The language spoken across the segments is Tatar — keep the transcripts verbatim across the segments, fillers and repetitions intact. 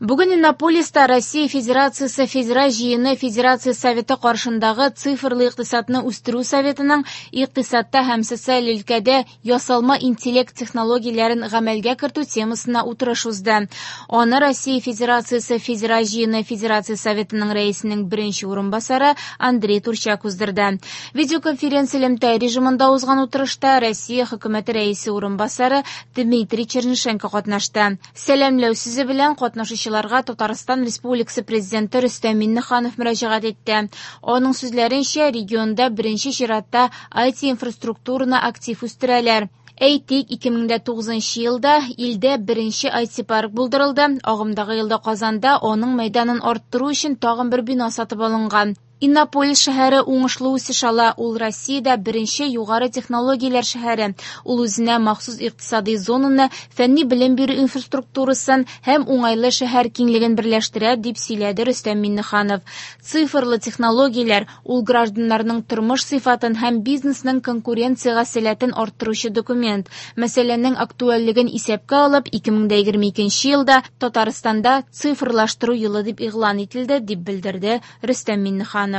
Бүген Иннополиста Россия Федерациясе Федераль җыены Федерация Советы каршындагы Цифрлы икътисадны үстерү советының икътисадта һәм социаль өлкәдә ясалма интеллект технологияләрен гамәлгә кертү темасына утырыш узды. Аны Россия Федерациясе Федераль җыены Федерация Советының рәисенең беренче урынбасары Андрей Турчак уздырды. Видеоконференция элемтә режимында узган утырышта Россия хөкүмәте рәисе урынбасары Дмитрий Чернышенко катнашты. Сәламләү сүзе белән катнашучыларга Татарстан Республикасы Президенты Рөстәм Миңнеханов мөрәҗәгать итте. Аның сүзләренчә, регионда беренче чиратта ай ти-инфраструктураны актив үстерәләр. Әйтик, ике мең дә тугызынчы елда илдә беренче ай ти-парк булдырылды. Агымдагы елда Казанда аның мәйданын арттыру өчен тагын бер бина сатып алынган. Иннополис шәһәре уңышлы үсеш ала. Ул Россиядә беренче югары технологияләр шәһәре. Ул үзенә махсус икътисади зонаны, фәнни белем бирү инфраструктурасын һәм уңайлы шәһәр киңлеген берләштерә, дип сөйләде Рөстәм Миңнеханов. Цифрлы технологияләр ул гражданнарның тормыш сыйфатын һәм бизнесның конкуренциягә сәләтен арттыручы документ. Мәсьәләнең актуальлеген исәпкә алып, ике мең дә егерме икенче елда Татарстанда цифрлаштыру елы дип игълан ителде, дип белдерде Рөстәм Миңнеханов.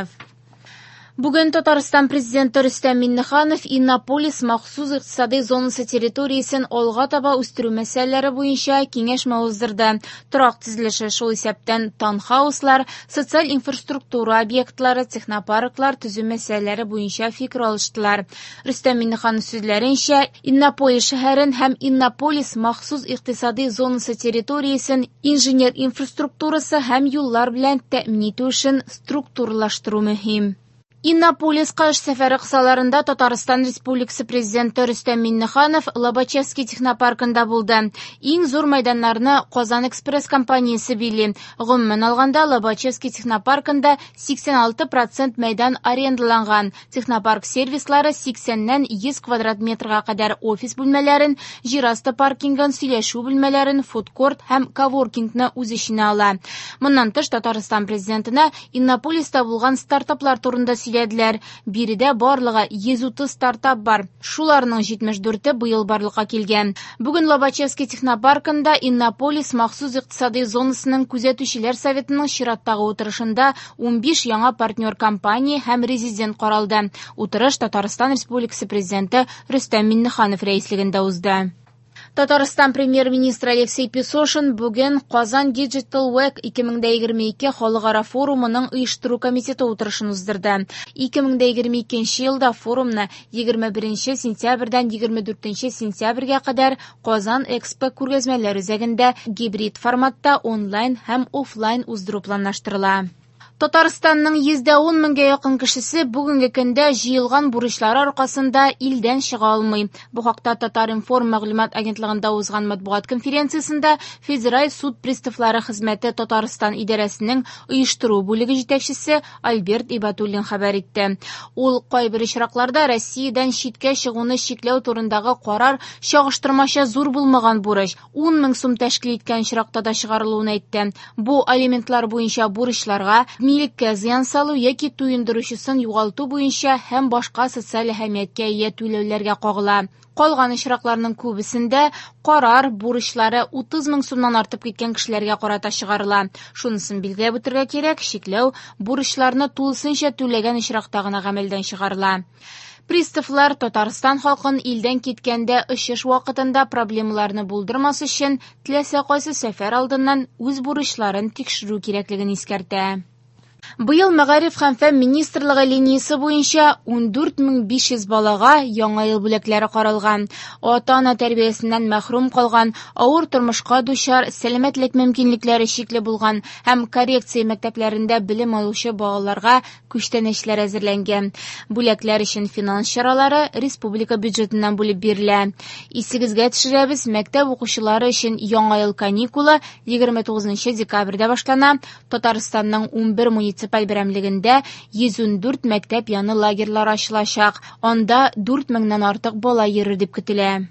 Бүген Татарстан президенты Рөстәм Миңнеханов Иннополис махсус икътисади зонасы территориясен алга таба үстерү мәсьәләләре буенча киңәшмә уздырды. Торак төзелеше, шул исәптән таунхауслар, социаль инфраструктура объектлары, технопарклар төзү мәсьәләләре буенча фикер алыштылар. Рөстәм Миңнеханов сүзләренчә, Иннополис шәһәрен һәм Иннополис махсус икътисади зонасы территориясен инженер инфраструктурасы һәм юллар белән тәэмин итү эшен структуралаштыру мөһим. Иннополиска эш сәфәре кысаларында Татарстан Республикасы Президенты Рөстәм Миңнеханов Лобачевский технопаркында булды. Иң зур мәйданнарны Казан Экспресс компаниясе били. Гомумән алганда, Лобачевский технопаркында сиксән алты процент мәйдан арендаланган. Технопарк сервислары сиксәннән йөз квадрат метрга кадәр офис бүлмәләрен, җир асты паркингын, сөйләшү бүлмәләрен, фудкорт һәм коворкингны үз эченә ала. Моннан тыш, Татарстан Президентына Иннополиста булган стартаплар турында сөйләде. Биредә барлыгы йөз утыз стартап бар. Шуларның җитмеш дүрте быел барлыкка килгән. Бүген Лобачевский технопаркында Иннополис махсус икътисади зонасының күзәтүчеләр советының чираттагы утырышында унбиш яңа партнер компания һәм резидент каралды. Утырыш Татарстан Республикасы Президенты Рөстәм Миңнеханов рәислегендә узды. Татарстан премьер-министры Алексей Песошин бүген Казан Digital Week ике мең дә егерме ике халыкара форумының оештыру комитеты утырышын уздырды. Ике мең дә егерме икенче елда форумны егерме беренче сентябрьдән егерме дүртенче сентябрьгә кадәр Казан Экспо күргәзмәләр үзәгендә гибрид форматта онлайн һәм офлайн уздыру планлаштырыла. Татарстанның йөз дә ун меңгә якын кешесе бүгенге көндә җыелган бурычлары аркасында илдән чыга алмый. Бу хакта Татар-информ мәгълүмат агентлыгында узган матбугат конференциясендә Федераль суд приставлары хезмәте Татарстан идарәсенең оештыру бүлеге җитәкчесе Альберт Ибатуллин хәбәр итте. Ул кайбер очракларда Россиядән читкә чыгуны чикләү турындагы карар чагыштырмача зур булмаган бурыч ун мең сум тәшкил иткән очракта да чыгарылуын әйтте. Бу алиментлар буенча бурычларга, милеккә зыян салу яки туендыручысын югалту буенча һәм башка социаль әһәмияткә ия түләүләргә кагыла. Калган очракларның күбесендә карар бурычлары утыз мең сумнан артып киткән кешеләргә карата чыгарыла. Шунысын билгеләп үтәргә кирәк, чикләү бурычларны тулысынча түләгән очракта гына гамәлдән чыгарыла. Приставлар Татарстан халкын илдән киткәндә очыш вакытында проблемаларны булдырмас өчен теләсә кайсы сәфәр алдыннан үз бурычларын тикшерү кирәклеген искәртә. Быел Мәгариф һәм фән министрлыгы линиясе буенча ундүрт мең биш йөз балага яңа ел бүләкләре каралган. Ата-ана тәрбиясеннән мәхрүм калган, авыр тормышка дучар, сәламәтлек мөмкинлекләре чикле булган һәм коррекция мәктәпләрендә белем алучы балаларга күчтәнәчләр әзерләнгән. Бүләкләр өчен финанс чаралары республика бюджетыннан бүлеп бирелә. Исегезгә төшерәбез, мәктәп укучылары өчен яңа ел каникулы егерме тугызынчы декабрьдә башлана. Татарстанның унбер муниципаль берәмлегендә йөз ундүрт мәктәп яны лагерьлар ачылачак. Анда дүрт меңнән артык бала йөрер дип көтелә.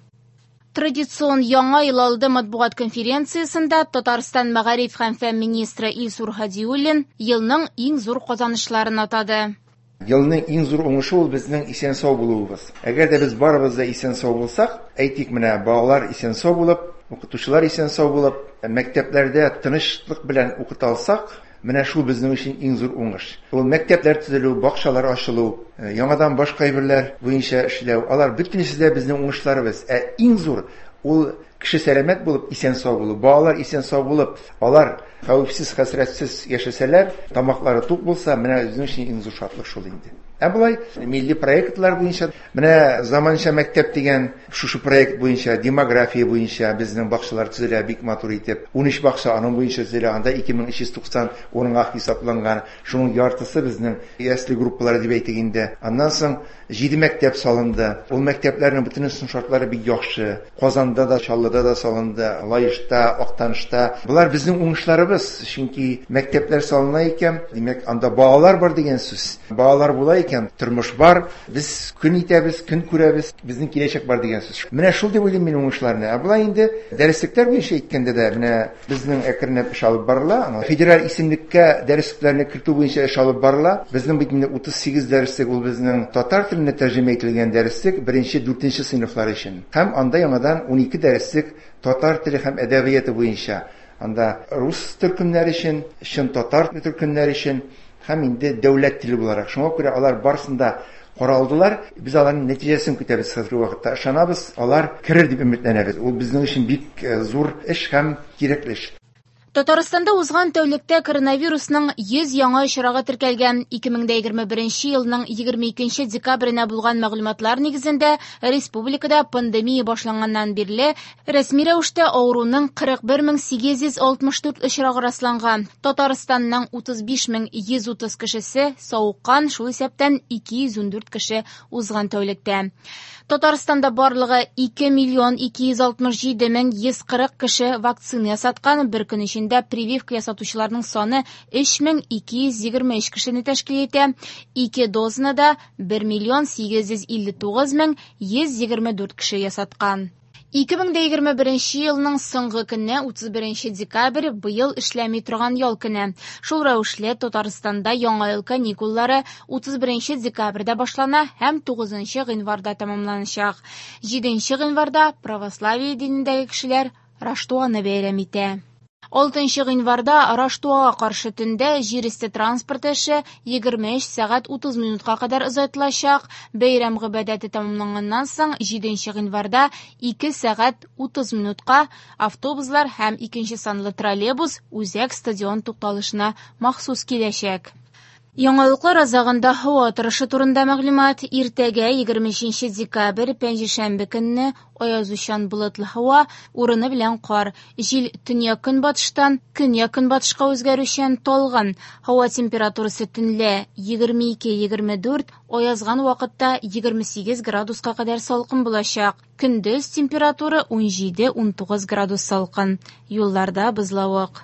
Традицион яңа ел алды матбугат конференциясендә Татарстан мәгариф һәм фән министры Илсур Һадиуллин елның иң зур казанышларын атады. Елның иң зур уңышы ул безнең исән-сау булуыбыз. Әгәр дә без барыбыз да исән-сау булсак, әйтик менә балалар исән-сау булып, укытучылар исән-сау булып, мәктәпләрдә тынычлык белән укыта алсак, менә шул безнең өчен иң зур уңыш. Ул мәктәпләр төзелү, бакчалар ачылу, яңадан башка әйберләр буенча эшләү, алар бөтенесе дә безнең уңышларыбыз. Ә иң зур ул кеше сәламәт булып, исән-сау булу, балалар исән-сау булып, алар хәвефсез, хәсрәтсез яшәсәләр, тамаклары тук булса, менә безнең өчен иң зур шатлык шул инде. Ә болай милли проектлар буенча, менә заманча мәктәп дигән шушы проект буенча, демография буенча безнең бакчалар төзелә бик матур итеп. ун өч бакча аның буенча төзелә, анда ике мең өч йөз туксан урынга хисапланган. Шуның яртысы безнең ясле группалары дип әйтик инде. Аннан соң җиде мәктәп салынды. Ул мәктәпләрнең бөтенесенең шартлары бик яхшы. Казанда да, Чаллыда да салынды, Лаешта, Актанышта. Болар безнең уңышларыбыз, чөнки мәктәпләр салына икән, димәк, анда балалар бар дигән сүз. Балалар була икән, тормыш бар, без көн итәбез, көн күрәбез, безнең киләчәк бар дигән сүз. Менә шул дип уйлыйм мин уңышларны. Ә болай инде дәреслекләр буенча әйткәндә дә, менә безнең әкренләп эш алып барыла. Федераль исемлеккә дәреслекләрне кертү буенча эш алып барыла. Безнең бит инде утыз сигез дәреслек, ул безнең татар теленә тәрҗемә ителгән дәреслек беренче, дүртенче сыйныфлар өчен. Һәм анда яңадан ун ике дәреслек татар теле һәм әдәбияты буенча. Анда рус төркемнәре өчен, чын татар төркемнәре өчен һәм инде дәүләт теле буларак. Шуңа күрә алар барысын да каралдылар. Без аларның нәтиҗәсен көтәбез хәзерге вакытта. Ышанабыз, алар керер дип өметләнәбез. Ул безнең өчен бик зур эш һәм кирәкле эш. Татарстанда узган тәүлектә коронавирусның йөз яңа очрагы теркәлгән. ике мең дә егерме беренче елның егерме икенче декабренә булган мәгълүматлар нигезендә республикада пандемия башланганнан бирле рәсми рәвештә авыруның кырык бер мең сигез йөз алтмыш дүрт очрагы расланган. Татарстанның утыз биш мең йөз утыз кешесе савыккан, шул исәптән ике йөз ундүрт кеше узган тәүлектә. Татарстанда барлыгы ике миллион ике йөз алтмыш җиде мең йөз кырык кеше вакцина ясаткан. Бер көн эчендә прививка ясатучыларның саны өч мең ике йөз егерме өч кешене тәшкил итә. Ике дозаны да бер миллион сигез йөз илле тугыз мең йөз егерме дүрт кеше ясаткан. Ике мең дә егерме беренче елның соңгы көне, утыз беренче декабрь, быел эшләми торган ял көне. Шул рәвешле Татарстанда яңа ел каникуллары утыз беренче декабрьдә башлана һәм тугызынчы гыйнварда тәмамланачак. Җиденче гыйнварда православие динендәге кешеләр Раштуаны бәйрәм итә. Алтынчы гыйнварда Раштуага каршы төндә җир өсте транспорты эше егерме өч сәгать утыз минутка кадәр озайтылачак. Бәйрәм гыйбадәте тәмамланганнан соң җиденче гыйнварда ике сәгать утыз минутка автобуслар һәм икенче санлы троллейбус үзәк стадион тукталышына махсус киләчәк. Яңалыклар азагында һава торышы турында мәгълүмат. Иртәгә егерме өченче декабрь пәнҗешәмбе көнне аязучан болытлы һава, урыны белән кар. Җил төньяк-көнбатыштан көньяк-көнбатышка үзгәрүчән талгын. Һава температурасы төнлә егерме ике егерме дүрт, аязган вакытта егерме сигез градуска кадәр салкын булачак. Көндез температура ун җиде ун тугыз градус салкын. Юлларда бозлавык.